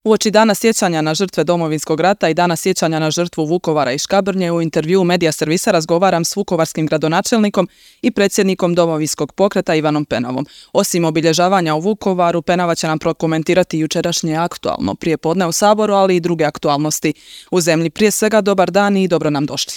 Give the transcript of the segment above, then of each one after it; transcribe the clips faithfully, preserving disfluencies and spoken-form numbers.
Uoči dana sjećanja na žrtve Domovinskog rata i dana sjećanja na žrtvu Vukovara i Škabrnje u intervjuu Medija servisa razgovaram s vukovarskim gradonačelnikom i predsjednikom Domovinskog pokreta Ivanom Penavom. Osim obilježavanja u Vukovaru, Penava će nam prokomentirati jučerašnje aktualno prijepodne u Saboru, ali i druge aktualnosti u zemlji. Prije svega, dobar dan i dobro nam došli.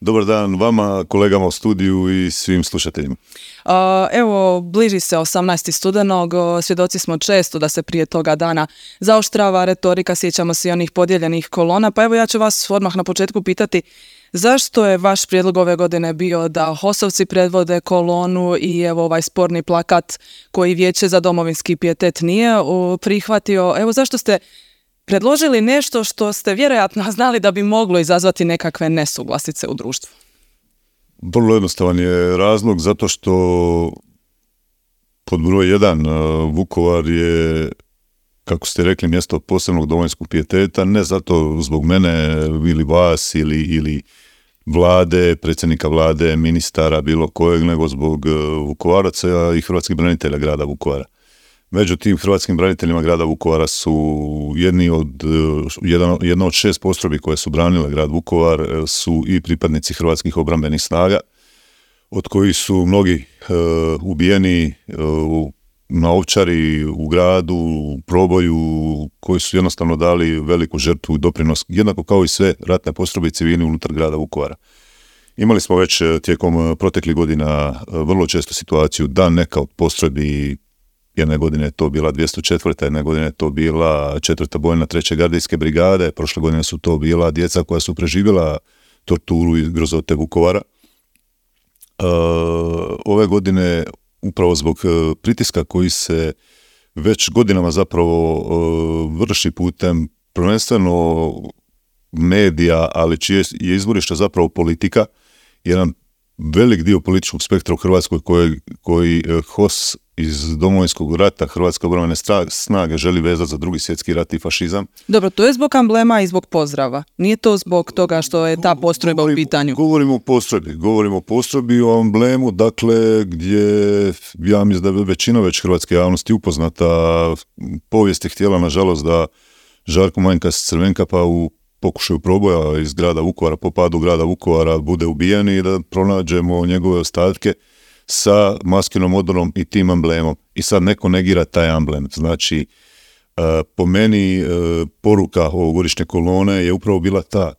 Dobar dan vama, kolegama u studiju i svim slušateljima. Uh, evo, bliži se osamnaesti studenog, svjedoci smo često da se prije toga dana zaoštrava retorika, sjećamo se i onih podijeljenih kolona, pa evo ja ću vas odmah na početku pitati zašto je vaš prijedlog ove godine bio da HOS-ovci predvode kolonu i evo ovaj sporni plakat koji Vijeće za domovinski pijetet nije uh, prihvatio, evo zašto ste predložili nešto što ste vjerojatno znali da bi moglo izazvati nekakve nesuglasice u društvu? Vrlo jednostavan je razlog, zato što pod broj jedan Vukovar je, kako ste rekli, mjesto posebnog domovinskog pijeteta, ne zato zbog mene ili vas ili, ili vlade, predsjednika vlade, ministara, bilo kojeg, nego zbog Vukovaraca i hrvatskih branitelja grada Vukovara. Među tim hrvatskim braniteljima grada Vukovara su jedni od, jedan, jedna od šest postrojbi koje su branile grad Vukovar su i pripadnici hrvatskih obrambenih snaga, od kojih su mnogi e, ubijeni e, na Ovčari, u gradu, u proboju, koji su jednostavno dali veliku žrtvu i doprinos, jednako kao i sve ratne postrojbe i civili unutar grada Vukovara. Imali smo već tijekom proteklih godina vrlo često situaciju da neka od postrojbi, jedne godine je to bila dvjesto četvrta, jedne godine je to bila četvrta bojna treće gardijske brigade, prošle godine su to bila djeca koja su preživjela torturu i grozote Vukovara. Uh, ove godine, upravo zbog pritiska koji se već godinama zapravo uh, vrši putem prvenstveno medija, ali čije je izvorište zapravo politika, jedan velik dio političkog spektra u Hrvatskoj koji, koji H O S iz Domovinskog rata, Hrvatske obrambene snage želi vezati za drugi svjetski rat i fašizam. Dobro, to je zbog amblema i zbog pozdrava. Nije to zbog toga što je ta postrojba govorimo, u pitanju. Govorimo o postrojbi. Govorimo o postrojbi, o amblemu, dakle, gdje ja mislim da je većina već hrvatske javnosti upoznata. Povijest je htjela, nažalost, da Žarko Manjkas Crvenkapa u pokušaju proboja iz grada Vukovara, po padu grada Vukovara, bude ubijen i da pronađemo njegove ostatke sa maskinom odorom i tim amblemom. I sad neko negira taj amblem. Znači, uh, po meni uh, poruka ovogodišnje kolone je upravo bila ta.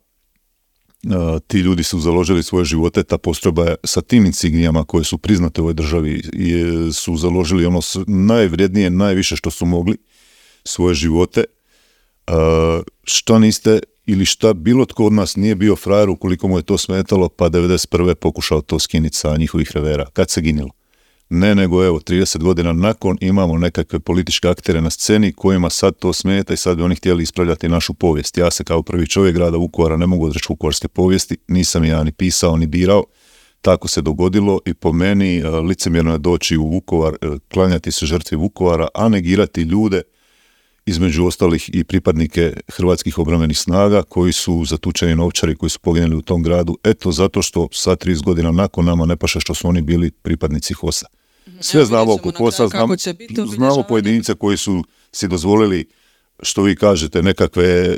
Uh, ti ljudi su založili svoje živote, ta postrojba je sa tim insignijama koje su priznate u ovoj državi je, su založili ono najvrijednije, najviše što su mogli, svoje živote. Uh, što niste ili šta bilo tko od nas nije bio frajer ukoliko mu je to smetalo, pa devedeset prve pokušao to skinuti sa njihovih revera. Kad se ginilo? Ne, nego evo, trideset godina nakon imamo nekakve političke aktere na sceni kojima sad to smeta i sad bi oni htjeli ispravljati našu povijest. Ja se kao prvi čovjek grada Vukovara ne mogu odreći vukovarske povijesti, nisam ja ni pisao ni birao, tako se dogodilo i po meni licemjerno je doći u Vukovar, klanjati se žrtvi Vukovara, a negirati ljude, između ostalih i pripadnike hrvatskih obrambenih snaga koji su zatučeni na Ovčari, koji su poginuli u tom gradu, eto zato što sad trideset godina nakon nama ne paše što su oni bili pripadnici H O S-a. Sve Evo, znamo oko H O S-a, znam, znamo pojedinice koji su si dozvolili, što vi kažete, nekakve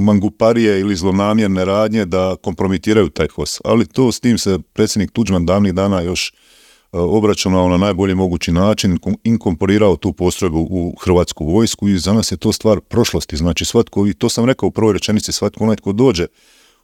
manguparije ili zlonamjerne radnje da kompromitiraju taj H O S. Ali to s tim se predsjednik Tuđman davnih dana još obračunao na najbolji mogući način, inkorporirao tu postrojbu u hrvatsku vojsku i za nas je to stvar prošlosti. Znači svatko, i to sam rekao u prvoj rečenici, svatko onaj tko dođe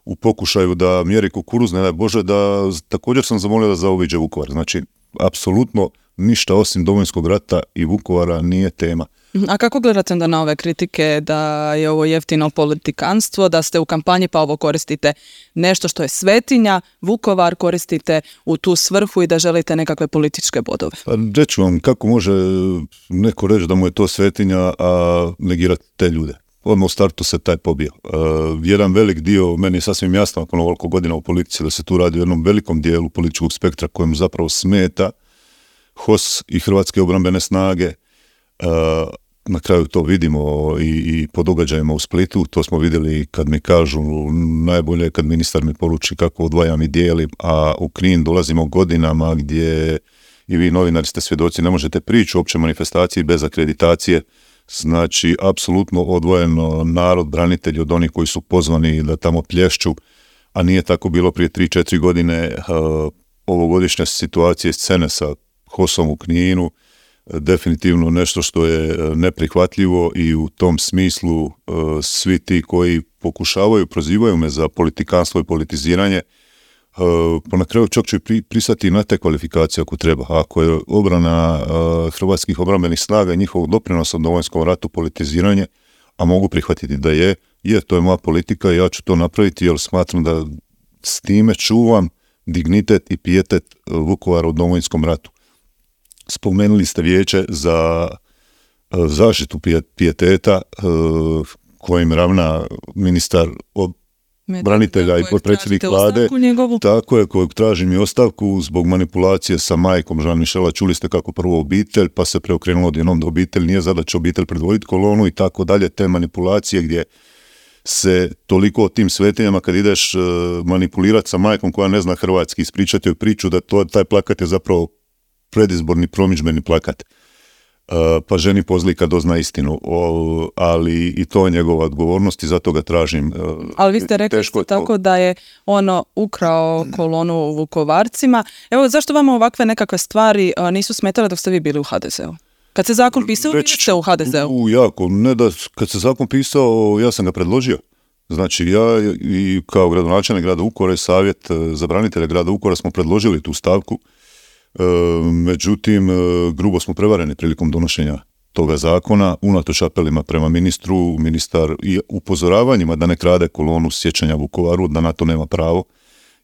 u pokušaju da mjeri kukuruz, ne daj Bože, da također sam zamolio da zaobiđe Vukovar. Znači, apsolutno ništa osim Domovinskog rata i Vukovara nije tema. A kako gledate onda na ove kritike da je ovo jeftino politikanstvo, da ste u kampanji pa ovo koristite nešto što je svetinja, Vukovar koristite u tu svrhu i da želite nekakve političke bodove? Pa reću vam, kako može neko reći da mu je to svetinja, a negirati te ljude? Odmah u startu se taj pobio. Uh, jedan velik dio, meni je sasvim jasno nakon ovoliko godina u politici da se tu radi o jednom velikom dijelu političkog spektra kojem zapravo smeta H O S i Hrvatske obrambene snage. Uh, na kraju to vidimo i, i po događajima u Splitu, to smo vidjeli kad mi kažu najbolje kad ministar mi poruči kako odvajam i dijelim, a u Knin dolazimo godinama gdje i vi novinari ste svjedoci, ne možete prići u općoj manifestaciji bez akreditacije Znači, apsolutno odvojeno narod, branitelji od onih koji su pozvani da tamo plješću, a nije tako bilo prije tri četiri godine. Uh, ovogodišnja situacija scene sa Hosom u Kninu, definitivno nešto što je neprihvatljivo i u tom smislu uh, svi ti koji pokušavaju, prozivaju me za politikanstvo i politiziranje, uh, pa na kraju čak ću pri, pristati na te kvalifikacije ako treba. Ako je obrana uh, hrvatskih obrambenih snaga i njihovog doprinosa u Domovinskom ratu politiziranje, a mogu prihvatiti da je, je, to je moja politika i ja ću to napraviti jer smatram da s time čuvam dignitet i pijetet Vukovara u Domovinskom ratu. Spomenuli ste vijeće za uh, zaštitu pijeteta uh, kojim ravna ministar ob- branitelja i potpredsjednik vlade. Tako je, kojeg tražim i ostavku zbog manipulacije sa majkom Jean-Michela. Čuli ste kako prvo obitelj, pa se preokrenulo odjednom da obitelj nije zadaća obitelj predvoditi kolonu i tako dalje. Te manipulacije gdje se toliko o tim svetinjama kad ideš uh, manipulirati sa majkom koja ne zna hrvatski, ispričati joj priču da to, taj plakat je zapravo predizborni promidžbeni plakat. Uh, pa ženi pozlika dozna istinu, o, ali i to je njegova odgovornost i zato ga tražim. Uh, ali vi ste rekli tako da je ono ukrao kolonu u Vukovarcima. Evo, zašto vama ovakve nekakve stvari uh, nisu smetale dok ste vi bili u ha de ze u? Kad se zakon pisao, vi ste u ha de ze u? U, jako, ne da, kad se zakon pisao, ja sam ga predložio. Znači, ja i kao gradonačelnik grada Vukovara i savjet za branitelje grada Vukovara smo predložili tu stavku. E, međutim, e, grubo smo prevareni prilikom donošenja toga zakona, unatoč apelima prema ministru, ministar i upozoravanjima da ne krade kolonu sjećanja Vukovaru, da na to nema pravo,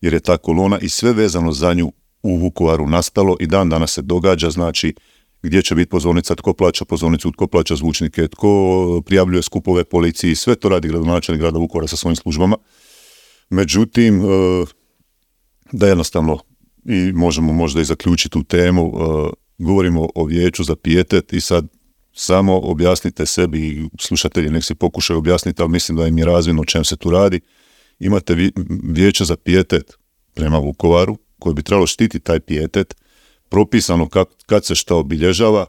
jer je ta kolona i sve vezano za nju u Vukovaru nastalo i dan danas se događa, znači gdje će biti pozornica, tko plaća pozornicu, tko plaća zvučnike, tko prijavljuje skupove policiji, sve to radi gradonačelnik grada Vukovara sa svojim službama. Međutim, e, da jednostavno i možemo možda i zaključiti tu temu, uh, govorimo o vijeću za pijetet i sad samo objasnite sebi i slušatelji nek si pokušaju objasniti, ali mislim da im je razvidno o čem se tu radi. Imate vi, vijeće za pijetet prema Vukovaru koje bi trebalo štiti taj pijetet, propisano kak, kad se šta obilježava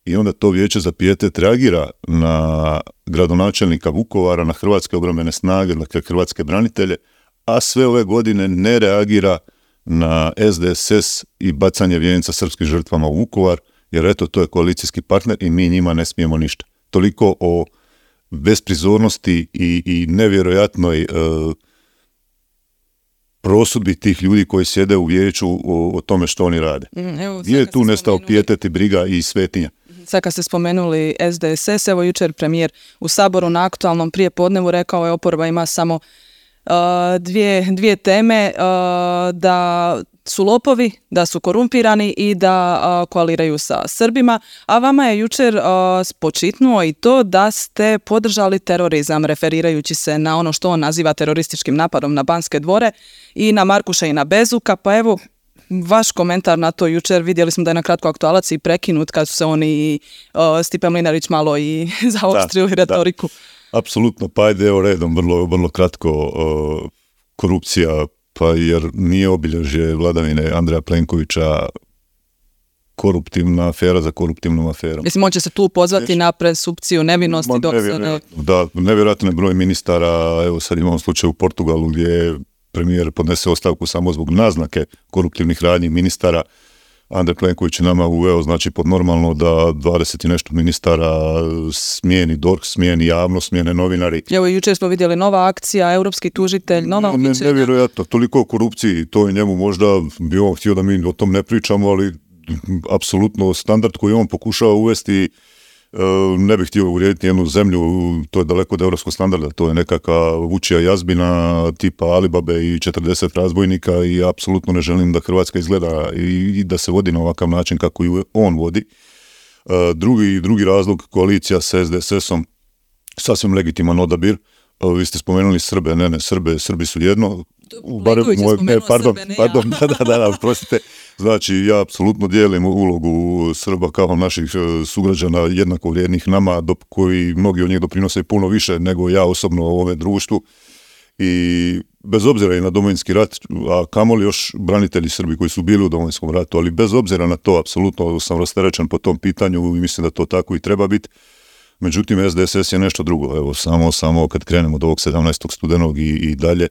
i onda to vijeće za pijetet reagira na gradonačelnika Vukovara, na hrvatske obrambene snage, dakle hrvatske branitelje, a sve ove godine ne reagira na es de es es i bacanje vijenica srpskim žrtvama u Vukovar, jer eto, to je koalicijski partner i mi njima ne smijemo ništa. Toliko o besprizornosti i, i nevjerojatnoj e, prosudbi tih ljudi koji sjede u vijeću o, o tome što oni rade. Mm, evo, gdje je tu nestao pijetet i briga i svetinja? Sad kad ste spomenuli es de es es, evo jučer premijer u Saboru na aktualnom prijepodnevu rekao je oporba ima samo Uh, dvije, dvije teme, uh, da su lopovi, da su korumpirani i da uh, koaliraju sa Srbima, a vama je jučer uh, spočitnuo i to da ste podržali terorizam, referirajući se na ono što on naziva terorističkim napadom na Banske dvore i na Markuša i na Bezuka, pa evo vaš komentar na to jučer, vidjeli smo da je na kratko aktualac i prekinut kad su se oni uh, Stipe Mlinarić malo i zaoštrili da, retoriku. Da. Apsolutno, pa ajde evo redom, vrlo, vrlo kratko, uh, korupcija, pa jer nije obilježje vladavine Andreja Plenkovića koruptivna afera za koruptivnom aferom. Mislim, on će se tu pozvati Ješ? na presumpciju nevinosti. Ma, dok nevjerojatno, se ne... Da, nevjerojatno je broj ministara, evo sad imamo slučaj u Portugalu gdje premijer podnese ostavku samo zbog naznake koruptivnih radnji ministara. Andrej Plenković je nama uveo, znači pod normalno da dvadeset i nešto ministara smijeni D O R H, smijeni javnost, smijene novinari. Evo jučer smo vidjeli nova akcija, europski tužitelj, nova ne, nevjerojatno, toliko o korupciji, to je njemu možda bi on htio da mi o tom ne pričamo, ali apsolutno standard koji on pokušava uvesti, ne bih htio uvrijediti jednu zemlju, to je daleko od europskog standarda, to je nekakva vučija jazbina tipa Alibabe i četrdeset razbojnika i apsolutno ne želim da Hrvatska izgleda i, i da se vodi na ovakav način kako ju on vodi. Drugi, drugi razlog, koalicija sa es de es esom, sasvim legitiman odabir. Vi ste spomenuli Srbe, ne, ne, Srbe, Srbi su jedno. Barem moj, e, pardon, Srbe, pardon, ja. da, da, da, da, prostite. Znači, ja apsolutno dijelim ulogu Srba kao naših sugrađana jednako vrijednih nama, do, koji mnogi od njih doprinose puno više nego ja osobno u ovome društvu. I bez obzira i na Domovinski rat, a kamoli još branitelji Srbi koji su bili u Domovinskom ratu, ali bez obzira na to, apsolutno sam rasterećen po tom pitanju i mislim da to tako i treba biti. Međutim, S D S S je nešto drugo. Evo, samo, samo kad krenemo od ovog sedamnaestog studenog i, i dalje,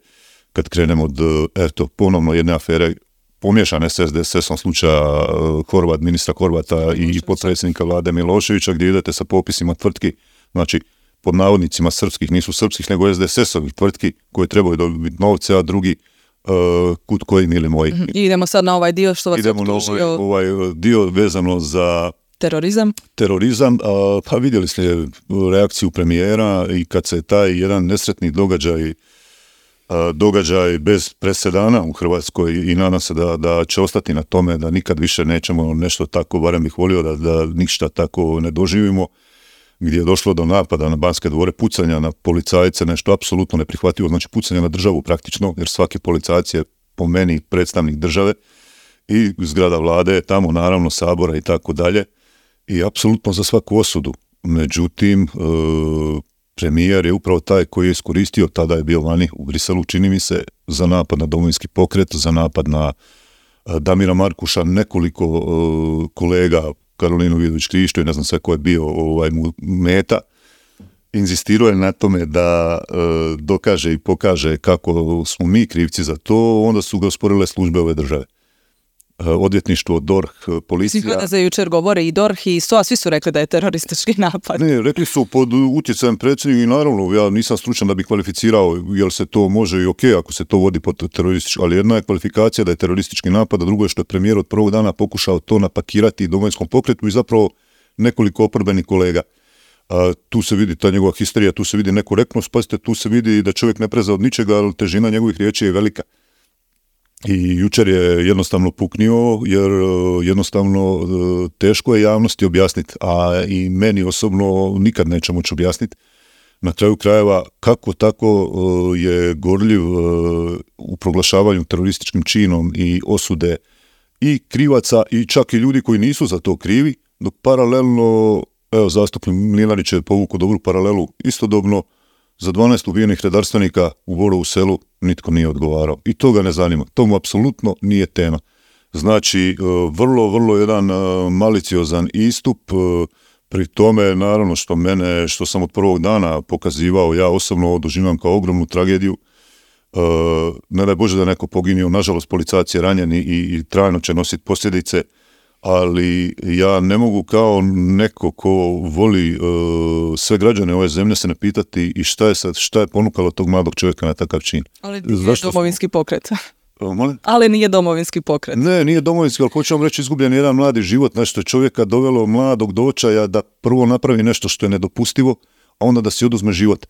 kad krenemo od, eto, ponovno jedne afere pomiješane s S D S S-om slučaja Horvat, ministra Horvata i potpredsjednika vlade Miloševića, gdje idete sa popisima tvrtki, znači, pod navodnicima srpskih, nisu srpskih, nego S D S S-ovih tvrtki koje trebaju dobiti novce, a drugi uh, kut koji nili moji. Mm-hmm. I idemo sad na ovaj dio što vas idemo optužio. Idemo na ovaj, ovaj dio vezano za terorizam. Terorizam, a, pa vidjeli ste reakciju premijera i kad se taj jedan nesretni događaj a, događaj bez presedana u Hrvatskoj i nadam se da, da će ostati na tome, da nikad više nećemo nešto tako, barem bih volio da, da ništa tako ne doživimo, gdje je došlo do napada na Banske dvore, pucanja na policajce, nešto apsolutno neprihvatljivo, znači pucanja na državu praktično, jer svaki policajac je po meni predstavnik države i zgrada vlade, tamo naravno Sabora i tako dalje, i apsolutno za svaku osudu. Međutim, e, premijer je upravo taj koji je iskoristio, tada je bio vani u Briselu, čini mi se, za napad na Domovinski pokret, za napad na e, Damira Markuša, nekoliko e, kolega, Karolinu Vidović-Krišto i ne znam sve ko je bio ovaj, mu meta, inzistirao je na tome da e, dokaže i pokaže kako smo mi krivci za to, onda su ga osporile službe ove države. Odvjetništvo, D O R H, policija. Svi kada za jučer govore i D O R H i S O A, svi su rekli da je teroristički napad. Ne, rekli su pod utjecajem predsjednika i naravno, ja nisam stručan da bi kvalificirao jel se to može i ok ako se to vodi pod teroristički, ali jedna je kvalifikacija da je teroristički napad, a drugo je što je premijer od prvog dana pokušao to napakirati Domovinskom pokretu i zapravo nekoliko oporbenih kolega. A, tu se vidi ta njegova histerija, tu se vidi nekorektnost, pazite, tu se vidi da čovjek ne preza od ničega, ali težina njegovih riječi je velika. I jučer je jednostavno puknio, jer jednostavno teško je javnosti objasniti, a i meni osobno nikad neće moći objasniti. Na kraju krajeva kako tako je gorljiv u proglašavanju terorističkim činom i osude i krivaca i čak i ljudi koji nisu za to krivi, dok paralelno, evo zastupnik Mlinarić je povukao dobru paralelu, istodobno za dvanaest ubijenih redarstvenika u Borovu Selu nitko nije odgovarao. I to ga ne zanima. To mu apsolutno nije tema. Znači, vrlo, vrlo jedan maliciozan istup, pri tome, naravno, što mene, što sam od prvog dana pokazivao, ja osobno doživljam kao ogromnu tragediju. Ne daj Bože da neko poginio, nažalost, policajac je ranjen i, i trajno će nositi posljedice, ali ja ne mogu kao neko ko voli uh, sve građane ove zemlje se ne pitati i šta je sad, šta je ponukalo tog mladog čovjeka na takav čin. Ali nije Zašto Domovinski pokret. Uh, molim? Ali nije Domovinski pokret. Ne, nije Domovinski, ali hoću vam reći izgubljen jedan mladi život, nešto je čovjeka dovelo mladog do očaja da prvo napravi nešto što je nedopustivo, a onda da si oduzme život.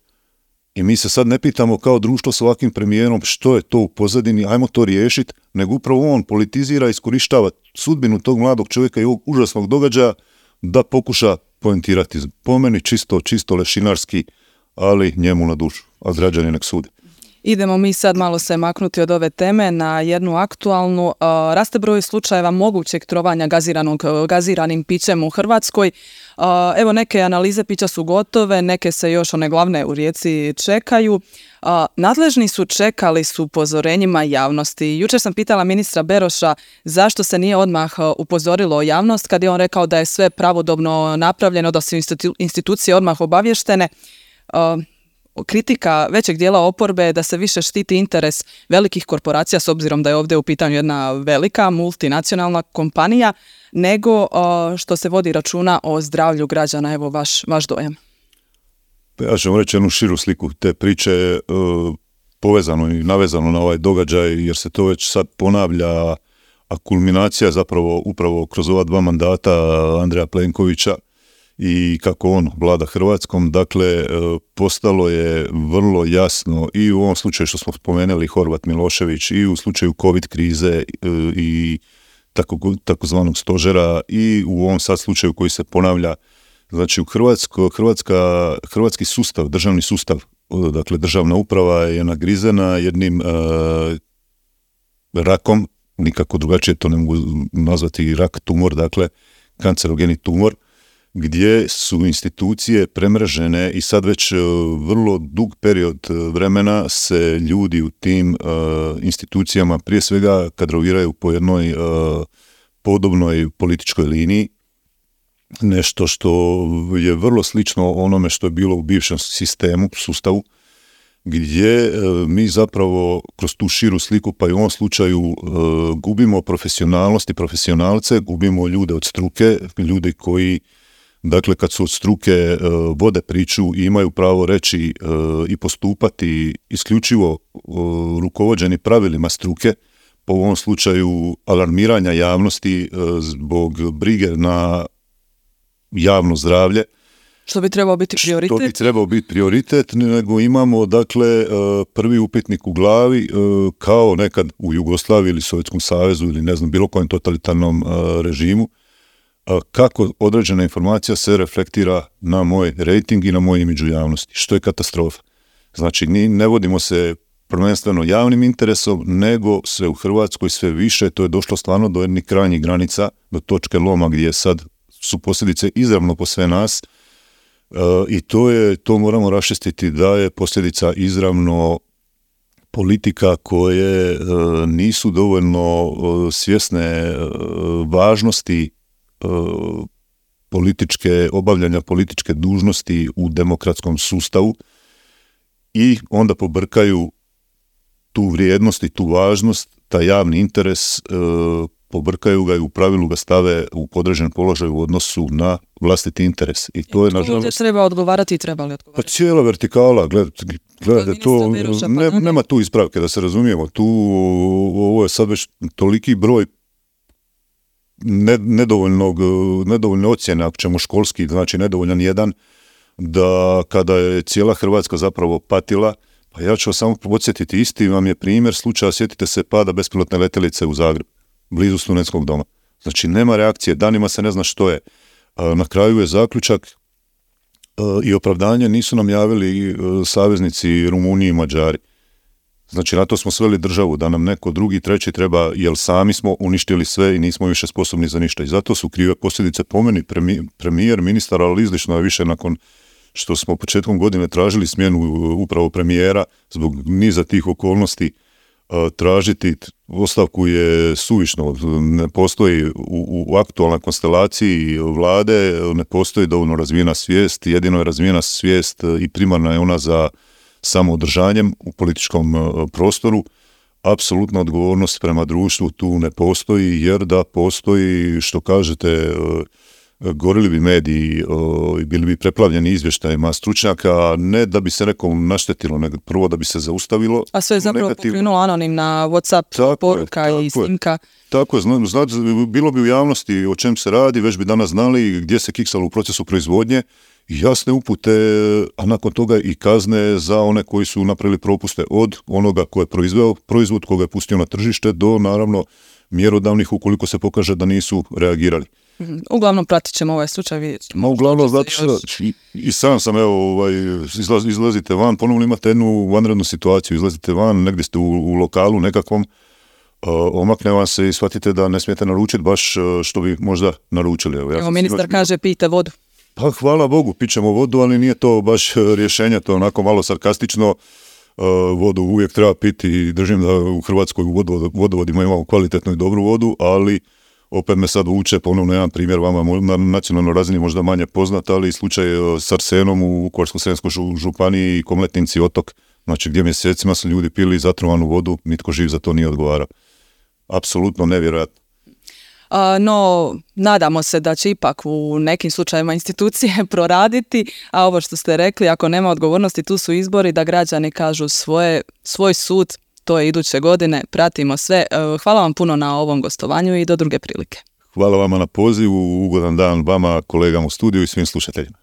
I mi se sad ne pitamo kao društvo s ovakvim premijerom što je to u pozadini, ajmo to riješiti, nego upravo on politizira i iskorištava sudbinu tog mladog čovjeka i ovog užasnog događaja da pokuša poentirati. Po meni čisto, čisto lešinarski, ali njemu na dušu, a građani nek sude. Idemo mi sad malo se maknuti od ove teme na jednu aktualnu. Raste broj slučajeva mogućeg trovanja gaziranog, gaziranim pićem u Hrvatskoj. Evo, neke analize pića su gotove, neke se još, one glavne u Rijeci, čekaju. Nadležni su čekali s upozorenjima javnosti. Jučer sam pitala ministra Beroša zašto se nije odmah upozorilo javnost kad je on rekao da je sve pravodobno napravljeno, da su institucije odmah obavještene. Kritika većeg dijela oporbe je da se više štiti interes velikih korporacija, s obzirom da je ovdje u pitanju jedna velika multinacionalna kompanija, nego što se vodi računa o zdravlju građana. Evo vaš, vaš dojam. Ja ću vam reći jednu širu sliku te priče, povezano i navezano na ovaj događaj, jer se to već sad ponavlja, a kulminacija je zapravo upravo kroz ova dva mandata Andreja Plenkovića i kako on vlada Hrvatskom. Dakle, postalo je vrlo jasno i u ovom slučaju što smo spomenuli Horvat Milošević i u slučaju COVID krize i tako, takozvanog stožera i u ovom sad slučaju koji se ponavlja. Znači, u Hrvatsko, Hrvatska, hrvatski sustav, državni sustav, dakle državna uprava je nagrizena jednim uh, rakom, nikako drugačije to ne mogu nazvati rak, tumor, dakle kancerogeni tumor, gdje su institucije premrežene i sad već uh, vrlo dug period vremena se ljudi u tim uh, institucijama prije svega kadroviraju po jednoj uh, podobnoj političkoj liniji. nešto što je vrlo slično onome što je bilo u bivšem sistemu, sustavu, gdje mi zapravo kroz tu širu sliku, pa i u ovom slučaju, gubimo profesionalnost i profesionalce, gubimo ljude od struke, ljudi koji, dakle, kad su od struke, vode priču i imaju pravo reći i postupati isključivo rukovođeni pravilima struke, po ovom slučaju alarmiranja javnosti zbog brige na javno zdravlje. Što bi trebao biti prioritet? Što bi trebao biti prioritet, nego imamo, dakle, prvi upitnik u glavi, kao nekad u Jugoslaviji ili Sovjetskom savezu ili ne znam, bilo kojem totalitarnom režimu, kako određena informacija se reflektira na moj rejting i na moj imidž u javnosti, što je katastrofa. Znači, ne vodimo se prvenstveno javnim interesom, nego sve u Hrvatskoj sve više, to je došlo stvarno do jednih krajnjih granica, do točke loma gdje sad su posljedice izravno po sve nas, e, i to je, to moramo raščistiti da je posljedica izravno politika koje e, nisu dovoljno e, svjesne e, važnosti e, političke, obavljanja političke dužnosti u demokratskom sustavu i onda pobrkaju tu vrijednost i tu važnost, taj javni interes, e, pobrkaju ga i u pravilu ga stave u podređen položaj u odnosu na vlastiti interes. I to je, nažalost, treba odgovarati i treba li odgovarati? Pa cijela vertikala, gledajte, gledajte to, ne, nema tu ispravke, da se razumijemo, tu ovo je sad već toliki broj ne, nedovoljnog, nedovoljne ocjene, ako ćemo školski, znači nedovoljan jedan, da kada je cijela Hrvatska zapravo patila, pa ja ću vas samo podsjetiti, isti vam je primjer slučaja, sjetite se pada bespilotne letjelice u Zagreb, blizu studentskog doma. Znači, nema reakcije, danima se ne zna što je. Na kraju je zaključak i opravdanje, nisu nam javili saveznici Rumuniji i Mađari. Znači, na to smo sveli državu, da nam neko drugi, treći treba, jer sami smo uništili sve i nismo više sposobni za ništa. I zato su krive posljedice po meni, premijer, ministar, ali izlično je više nakon što smo početkom godine tražili smjenu upravo premijera zbog niza tih okolnosti. Tražiti ostavku je suvišno, ne postoji u, u aktualnoj konstelaciji vlade, ne postoji dovoljno razvijena svijest, jedino je razvijena svijest i primarna je ona za samoodržanjem u političkom prostoru. Apsolutna odgovornost prema društvu tu ne postoji, jer da postoji, što kažete, gorili bi mediji i bili bi preplavljeni izvještajima stručnjaka, ne da bi se nekom naštetilo, nego prvo da bi se zaustavilo. A sve je zapravo pokrenulo anonimna WhatsApp tako poruka je, i snimka. Tako je, zna, zna, bilo bi u javnosti o čem se radi, već bi danas znali gdje se kiksalo u procesu proizvodnje, jasne upute, a nakon toga i kazne za one koji su napravili propuste, od onoga ko je proizveo proizvod, koga je pustio na tržište, do naravno mjerodavnih ukoliko se pokaže da nisu reagirali. Uglavnom pratit ćemo ovaj slučaj, vidjet ćemo. Ma uglavnom, znate što, i, i sam sam, evo, ovaj, izlaz, izlazite van, ponovno imate jednu vanrednu situaciju, izlazite van, negdje ste u, u lokalu nekakvom, uh, omakne vam se i shvatite da ne smijete naručiti baš što bi možda naručili. Evo, ja evo ministar sigurno kaže, pijte vodu. Pa hvala Bogu, pićemo vodu, ali nije to baš rješenje, to onako malo sarkastično. Uh, vodu uvijek treba piti i držim da u Hrvatskoj u vodovodima imamo kvalitetnu i dobru vodu, ali opet me sad vuče ponovno jedan primjer vama na nacionalnoj razini možda manje poznat, ali slučaj s arsenom u Vukovarsko-srijemskoj županiji i Komletinci otok, znači gdje mjesecima su ljudi pili zatrovanu vodu, nitko živ za to nije odgovarao. Apsolutno nevjerojatno. A, no, nadamo se da će ipak u nekim slučajevima institucije proraditi, a ovo što ste rekli, ako nema odgovornosti, tu su izbori, da građani kažu svoje, svoj sud, to je iduće godine, pratimo sve. Hvala vam puno na ovom gostovanju i do druge prilike. Hvala vama na pozivu, ugodan dan vama, kolegama u studiju i svim slušateljima.